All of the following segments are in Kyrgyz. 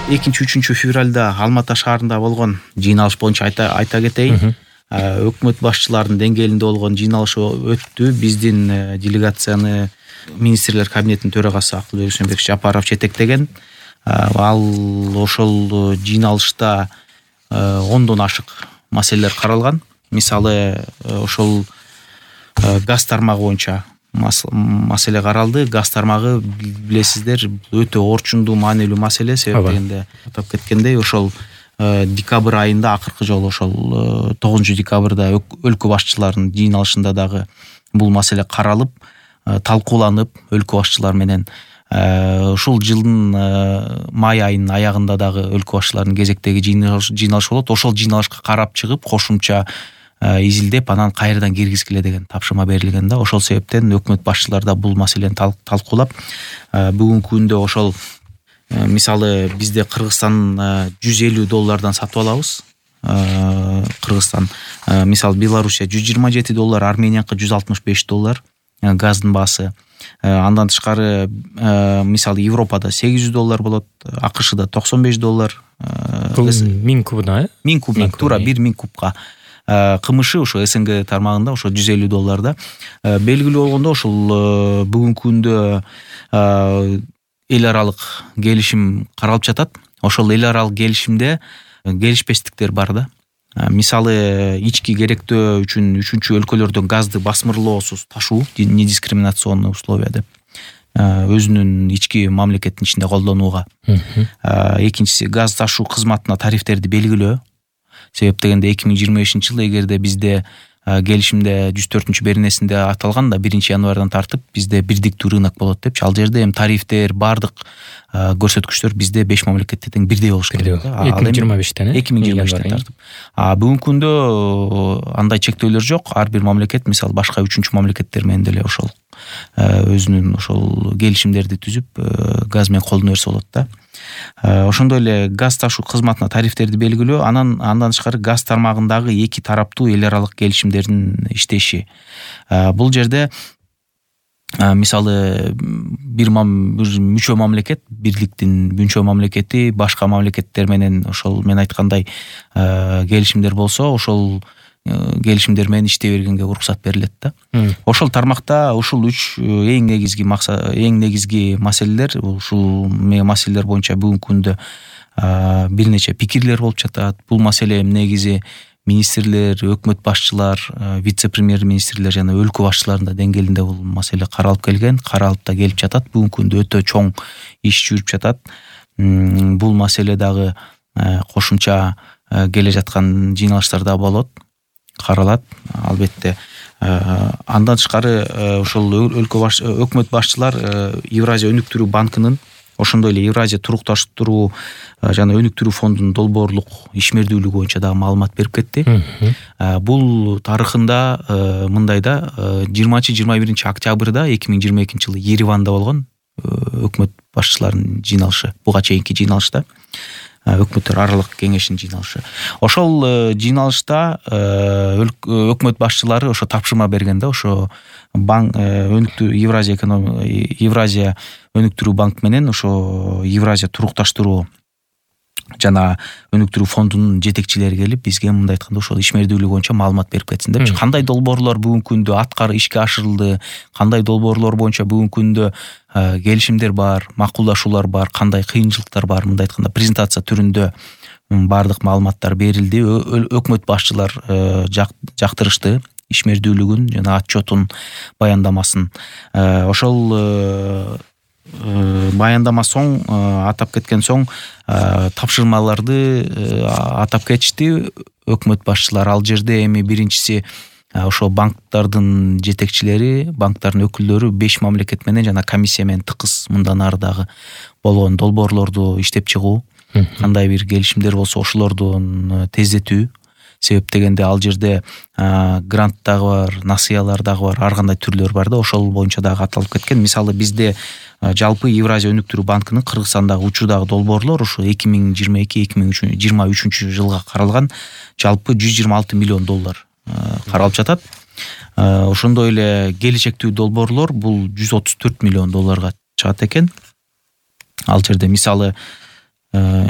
2-3 февралда Алматы шаарында болгон жыйналыш боюнча айта кетейин. Өкмөт башчыларынын деңгээлинде болгон жыйналыш өттү. Биздин делегацияны министрлер кабинетинин төрагасы Акылбек Усенбекович Жапаров жетектеген. Ал ошол жыйналышта 10дон ашык маселелер каралган. Мисалы, ошол газ тармагы боюнча маселе каралды. Газ тармагы, билесиздер, өтө орчундуу, маанилүү маселе. Себеп дегенде атап кеткендей, ошол декабрь айында акыркы жолу ошол 9 декабрда өлкө башчыларынын жыйналышында дагы бул маселе каралып, талкууланып, өлкө башчылары менен ушул жылдын май айынын аягында дагы өлкө башчыларынын кезектеги жыйналыш болот. Ошол жыйналышка карап чыгып, кошумча изилдеп, анан кайрадан киргизгиле деген тапшырма берилген да. Ошол себептен өкмөт башчылары да бул маселени талкуулап, бүгүнкү күндө ошол мисалы бизде Кыргызстан $150 сатып алабыз. Кыргызстан, мисалы Белоруссия $127, Арменияка $165 газдын баасы. Андан тышкары мисалы Европада $800 болот, АКШда $95. Бул 1000 кубуна, 1000 куб, туура 1000 кубка. КМШ ошо СНГ тармагында ошо $150. Белгилүү болгондо ошол бүгүнкү күндө эл аралык келишим каралып жатат. Ошол эл аралык келишимде келишпестиктер бар да. Мисалы, ички керектөө үчүн 3-чү өлкөлөрдөн газды басмырлоосуз ташуу, недискриминационный условия деп, өзүнүн ички мамлекеттин ичинде колдонууга. Экинчиси, газ ташуу кызматына тарифтерди белгилөө. Себеп дегенде 2025-жылы эгерде бизде келишимде 104-беренесинде аталган да 1-январдан тартып бизде бирдиктүү рынок болот депчи. Ал жерде эми тарифтер, бардык көрсөткүчтөр бизде 5 мамлекетте тең бирдей болуш керек. 2025-тен 2025-тен тартып. Бүгүнкү күндө андай чектөөлөр жок. Ар бир мамлекет, мисалы, башка 3-чү мамлекеттер менен деле ошол өзүнүн ошол келишимдерди түзүп газ менен колдоно берсе болот да. Ошондой эле газ ташуу кызматына тарифтерди белгилөө, андан тышкары газ тармагындагы эки тараптуу эл аралык келишимдердин иштеши. Бул жерде мисалы бир мүчө мамлекет, бирликтин мүчө мамлекети башка мамлекеттер менен ошол мен айткандай келишимдер болсо, ошол келишимдер менен иштей бергенге уруксат берилет да. Ошол тармакта ушул 3 эң негизги маселелер, ушул маселелер боюнча бүгүнкү күндө бир нече пикирлер болуп жатат. Бул маселе негизи министрлер, өкмөт башчылар, вице-премьер-министрлер жана өлкө башчыларынын деңгээлинде бул маселе каралып келген, каралып да келип жатат. Бүгүнкү күндө өтө чоң иш жүрүп жатат. Бул маселе дагы кошумча келе жаткан жыйналыштарда болот, каралат албетте. Андан тышкары ошол өкмөт башчылар Евразия өнүктүрүү банкынын, ошондой эле Евразия турукташтыруу жана өнүктүрүү фондунун долбоорлук ишмердүүлүгү боюнча дагы маалымат берип кетти. Бул тарыхында мындай да, 20-21 октябрда 2022-жылы Ереванда болгон өкмөт башчыларынын жыйналышы, буга чейинки жыйналышта, өкмөттөр аралык кеңешинин жыйналышы. Ошол жыйналышта өкмөт башчылары ошо тапшырма берген да, ошо банк Евразия өнүктүрүү банк менен ошо Евразия турукташтыруу жана өнүктүрүү фондунун жетекчилери келип бизге мындай айтканда ошол ишмердүүлүгү боюнча маалымат берип кетсин депчи. Кандай долбоорлор бүгүнкү күндө ишке ашырылды, кандай долбоорлор боюнча бүгүнкү күндө келишимдер бар, макулдашуулар бар, кандай кыйынчылыктар бар, мындай айтканда презентация түрүндө бардык маалыматтар берилди. Өкмөт башчылар жактырышты ишмердүүлүгүн жана отчетун, баяндамасын. Ошол баяндама соң, атап кеткен соң, тапшырмаларды атап кетишти өкмөт башчылар. Ал жерде эми биринчиси ошо банктардын жетекчилери, банктардын өкүлдөрү 5 мамлекет менен жана комиссия менен тыкыз мындан ары дагы болгон долбоорлорду иштеп чыгуу, кандай бир келишимдер болсо ошолордун тездетүү. Себеп дегенде ал жерде грант дагы бар, насыялар дагы бар, ар кандай түрлөр бар да, ошол боюнча дагы аталып кеткен. Мисалы бизде жалпы Евразия өнүктүрүү банкынын Кыргызстандагы учурдагы долбоорлор ушу 2022-2023 жылга каралган жалпы $126 миллион каралып жатат. Ошондой эле келечектүү долбоорлор бул $134 миллион чыгат экен. Ал жерде мисалы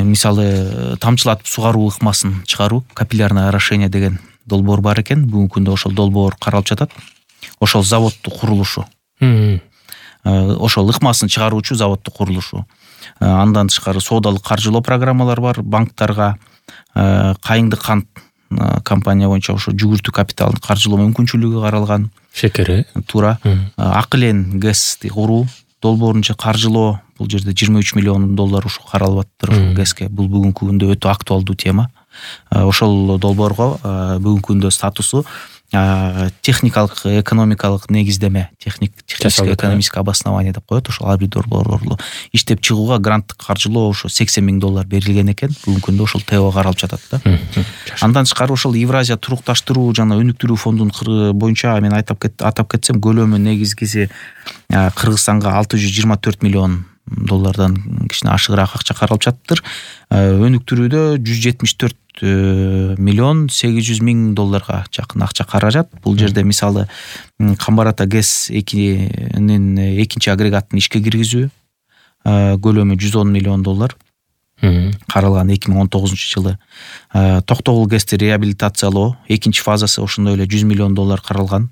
мисалы тамчылатып сугаруу ыкмасын чыгаруу, капиллярное орошение деген долбоор бар экен. Бүгүнкү күндө ошол долбоор каралып жатат. Ошол заводдун курулушу. Ошол ыкмасын чыгаруучу заводдун курулушу. Андан тышкары соодалык каржылоо программалар бар. Банктарга Кайыңды кант компания боюнча ошо жүгүртүү капиталын каржылоо мүмкүнчүлүгү каралган. Шекери. Туура. Ак элен ГЭСти куруу, долбоорунча каржылоо, бул жерде 23 миллион доллар ушу каралып атыптыр ГЭСке. Бул бүгүнкү күндө өтө актуалдуу тема. Ошол долбоорго бүгүнкү күндө статусу техникалык экономикалык негиздеме, техническое экономическое обоснование деп коет. Ошол ар бир долбоорлорду иштеп чыгууга гранттык каржылоо ошо $80 000 берилген экен. Бүгүнкү күндө ошол ТО каралып жатат да. Андан тышкары ошол Евразия турукташтыруу жана өнүктүрүү фондунун боюнча мен атап кетсем, көлөмү негизгиси Кыргызстанга $624 миллион кичине ашыгыраак акча каралып жатыптыр. Өнүктүрүүдө $174 миллион $800 жакын акча каражат. Бул жерде мисалы Камбар ата ГЭС 2-нин экинчи агрегатын ишке киргизүү көлөмү $110 миллион каралган 2019 жылы. Токтогул ГЭСти реабилитациялоо экинчи фазасы ошондой эле $100 миллион каралган.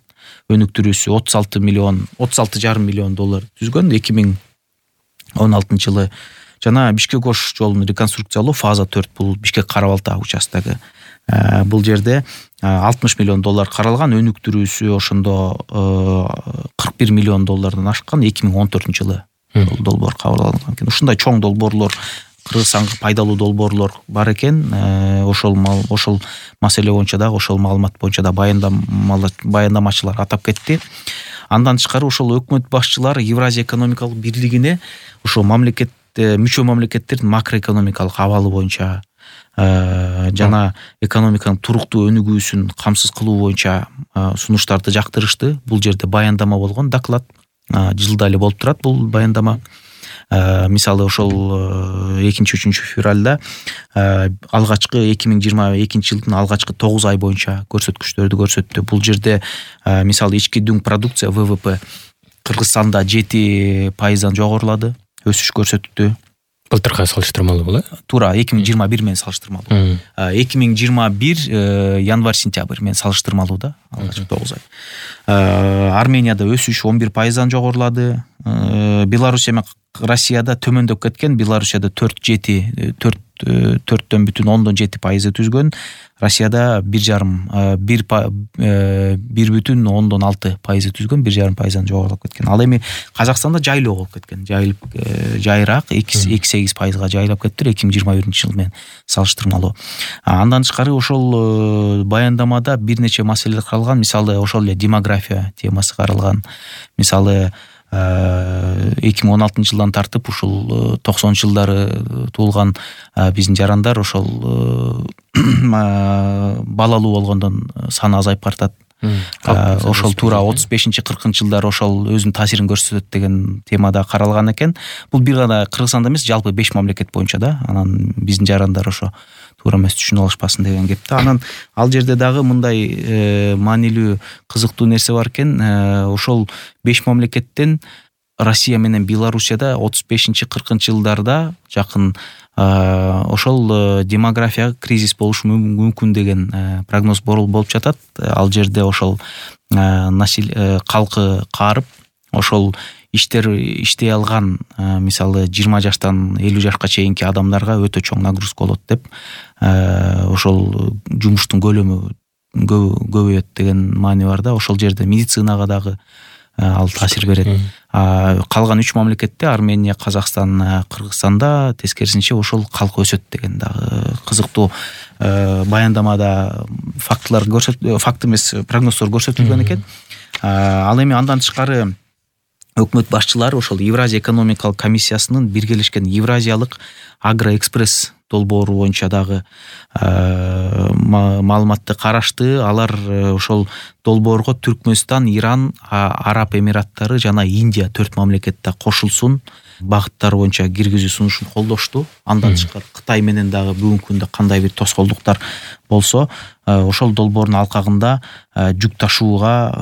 Өнүктүрүүсү $36,5 миллион түзгөн 2016 жылы. Жана Бишкек-Ош жолун реконструкциялоо фаза 4 бул Бишкек-Кара-Балта участогу. Бул жерде $60 миллион каралган, өнүктүрүүсү ошондо $41 миллион ашкан 2014 жылы долбоор кабыл алынган экен. Ушундай чоң долбоорлор, Кыргызстанга пайдалуу долбоорлор бар экен. Ошол маселе боюнча дагы, ошол маалымат боюнча да баяндамачылар атап кетти. Андан тышкары ошол өкмөт башчылары Евразия экономикалык бирлигине ошо мүчө мамлекеттердин макроэкономикалык абалы боюнча жана экономиканын туруктуу өнүгүүсүн камсыз кылуу боюнча сунуштарды жактырышты. Бул жерде баяндама болгон, доклад жылда эле болуп турат бул баяндама. Мисалы ошол 2-3 февралда алгачкы 2022 жылдын алгачкы 9 ай боюнча көрсөткүчтөрдү көрсөттү. Бул жерде мисалы ички дүң продукция ВВП Кыргызстанда 7% жогорулады, өсүш көрсөттү. Былтыркы салыштырмалуу бул, Туура, 2021 менен салыштырмалуу. 2021 январь-сентябрь менен салыштырмалуу да, алгачкы 9 ай. Арменияда өсүш 11% жогорулады. Белоруссия менен Россияда төмөндөп кеткен. Белоруссияда 4,7% түзгөн. Россияда 1,6% түзгөн, 1,5% жогорулуп кеткен. Ал эми Казакстанда жайлоо болуп кеткен. Жайыраак 2,8%га жайлап кетти 2021 жыл менен салыштырмалуу. Андан тышкары ошол баяндамада бир нече маселелер каралган. Мисалы ошол эле демография темасы каралган. Мисалы 2016 жылдан тартып ушул 90 жылдары туулган биздин жарандар ошол балалуу болгондон саны азайып баратат. Ошол туура 35-40 жылдары ошол өзүнүн таасирин көрсөтөт деген темада каралган экен. Бул бир гана Кыргызстанда эмес, жалпы 5 мамлекет боюнча да. Анан биздин жарандар ошо туура эмес түшүнүп алышпасын деген кеп да. Анан ал жерде дагы мындай маанилүү, кызыктуу нерсе бар экен. Ошол 5 мамлекеттен Россия менен Белоруссияда 35-40 жылдарда жакын ошол демография кризис болушу мүмкүн деген прогноз болуп жатат. Ал жерде ошол калкы каарып, ошол иштей алган мисалы 20 жаштан 50 жашка чейинки адамдарга өтө чоң нагрузка болот деп, ошол жумуштун көлөмү көбөйөт деген маани бар да. Ошол жерде медицинага дагы ал таасир берет. Калган 3 мамлекетте Армения, Казакстан, Кыргызстанда тескерисинче ошол калк өсөт деген дагы кызыктуу баяндамада факт эмес, прогноздор көрсөтүлгөн экен. Ал эми андан тышкары өкмөт башчылары ошол Евразия экономикалык комиссиясынын биргелешкен Евразиялык агроэкспресс долбоору боюнча дагы маалыматты карашты. Алар ошол долбоорго Түркмөнстан, Иран, Араб Эмираттары жана Индия 4 мамлекет да кошулсун багыттар боюнча киргизүү сунушун колдошту. Андан тышкары Кытай менен дагы бүгүнкү күндө кандай бир тоскоолдуктар болсо, ошол долбоордун алкагында жүк ташууга,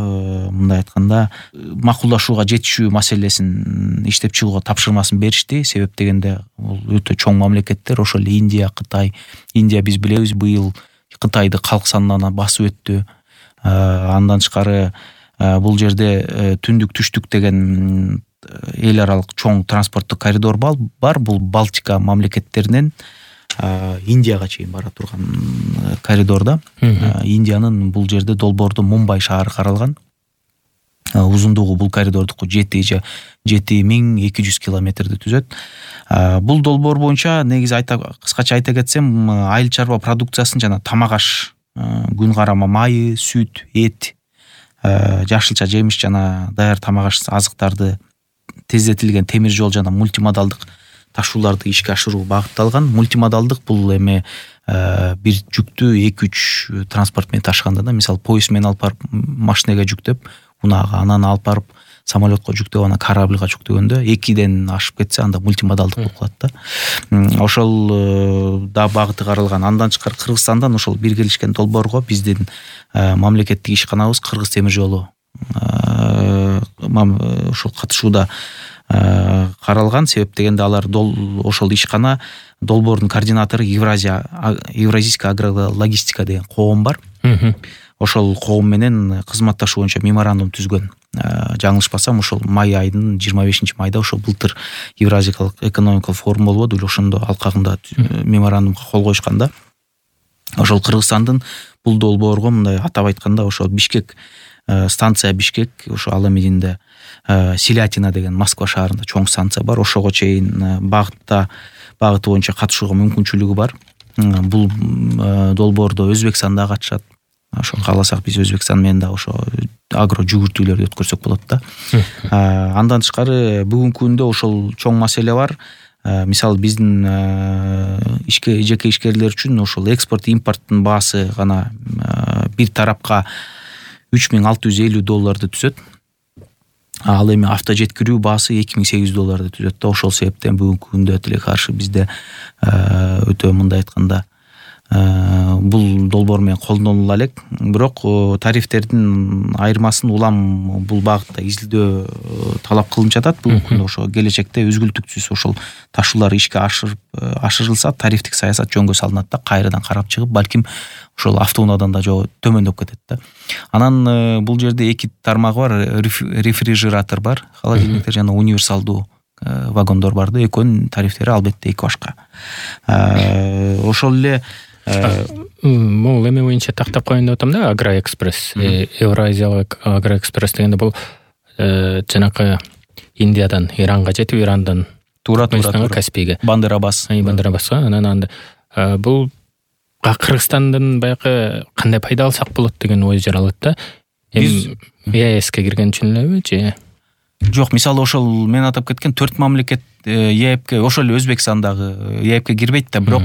мындай айтканда, макулдашууга жетишүү маселесин иштеп чыгууга тапшырмасын беришти. Себеп дегенде бул өтө чоң мамлекеттер, ошол Индия, Кытай. Индия биз билебиз, быйыл Кытайды калк санынан басып өттү. Андан тышкары бул жерде түндүк түштүк деген эл аралык чоң транспорттук коридор бар. Бул Балтика мамлекеттеринен Индияга чейин бара турган коридорда. Индиянын бул жерде долбоордо Мумбай шаары каралган. Узундугу бул коридордуку 7200 километрди түзөт. Бул долбоор боюнча негизи кыскача айта кетсем, айыл чарба продукциясын жана тамак аш, күн карама майы, сүт, эт, жашылча жемиш жана даяр тамак аш азыктарды, тездетилген темир жол жана мультимодалдык ташууларды ишке ашыруу багытталган. Мультимодалдык бул эми бир жүктү 2-3 транспорт менен ташыганда да, мисалы поезд менен алып барып машинеге жүктөп, унага, анан алып барып самолетко жүктөп, анан корабльга жүктөгөндө 2ден ашып кетсе, анда мультимодалдык болуп калат да. Ошол да багыты каралган. Андан тышкары Кыргызстандан ошол биргелешкен долбоорго биздин мамлекеттик ишканабыз Кыргыз темир жолу ошол катышууда каралган. Себеп дегенде алар ошол ишкана долбоордун координатору Евразийская агрологистика деген коом бар. Ошол коом менен кызматташуу боюнча меморандум түзгөн. Жаңылышпасам, ошол май айынын 25-майда ошол былтыр Евразиялык экономикалык форум болбоду, ошондо алкагында меморандумга кол коюшканда, ошол Кыргызстандын бул долбоорго мындай атап айтканда, ошол Бишкек станция, Бишкек, ошо ал эмидинде Селятина деген Москва шаарында чоң станция бар. Ошого чейин багыты боюнча катышууга мүмкүнчүлүгү бар. Бул долбоордо Өзбекстан да катышат. Ошо кааласак биз Өзбекстан менен да ошо агро жүгүртүүлөрдү өткөрсөк болот да. Андан тышкары бүгүнкү күндө ошол чоң маселе бар. Мисалы биздин жеке ишкерлер үчүн ошол экспорт импорттун баасы гана бир тарапка $3650 түзөт. Ал эми авто жеткирүү баасы $2800 түзөт да. Ошол себептен бүгүнкү күндө тиле каршы бизде өтө мындай айтканда бул долбоор менен колдонула элек. Бирок тарифтердин айырмасын улам бул багытта изилдөө талап кылынып жатат. Бүгүнкү күндө ошо келечекте үзгүлтүксүз ошол ташуулар ишке ашырылса, тарифтик саясат жөнгө салынат да, кайрадан карап чыгып, балким ошол автоунаадан да жоо төмөндөп кетет да. Анан бул жерде 2 тармагы бар. Рефрижератор бар, холодильниктер жана универсалдуу вагондор бар да. Экөөнүн тарифтери албетте эки башка. Ошол эле бул эме боюнча тактап коеюн деп атам да, Агроэкспресс, Евразиялык Агроэкспресс дегенде бул жанакы Индиядан Иранга жетип, Ирандан туура Каспийге, Бандерабасга. Анан бул Кыргызстандын баягы кандай пайда алсак болот деген ой жаралат да. ЕСке кирген үчүн элеби же? Жок, мисалы ошол мен атап кеткен 4 мамлекет ЕЭПке, ошол эле Өзбекстан дагы ЕЭПке кирбейт да, бирок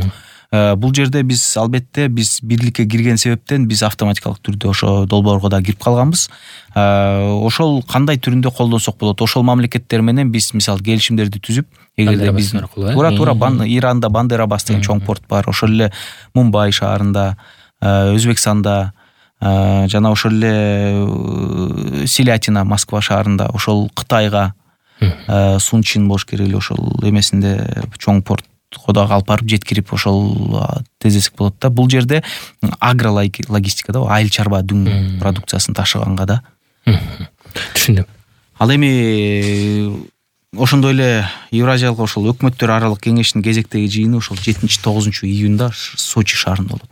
бул жерде биз албетте бирликке кирген себептен биз автоматикалык түрдө ошо долбоорго да кирип калганбыз. Ошол кандай түрүндө колдонсок болот? Ошол мамлекеттер менен биз мисалы келишимдерди түзүп, эгерде биз туура Иранда Бандерабас деген чоң порт бар, ошол эле Мумбай шаарында, Өзбекстанда жана ошол эле Селятина Москва шаарында, ошол Кытайга Сунчин болуш керек эле, ошол эмесинде чоң порт дагы алып барып жеткирип ошол тездесек болот да. Бул жерде агрологистика да, айыл чарба дүң продукциясын ташыганга да. Түшүндүм. Ал эми ошондой эле Евразиялык ошол өкмөттөр аралык кеңештин кезектеги жыйыны ошол 7-9 июнда Сочи шаарында болот.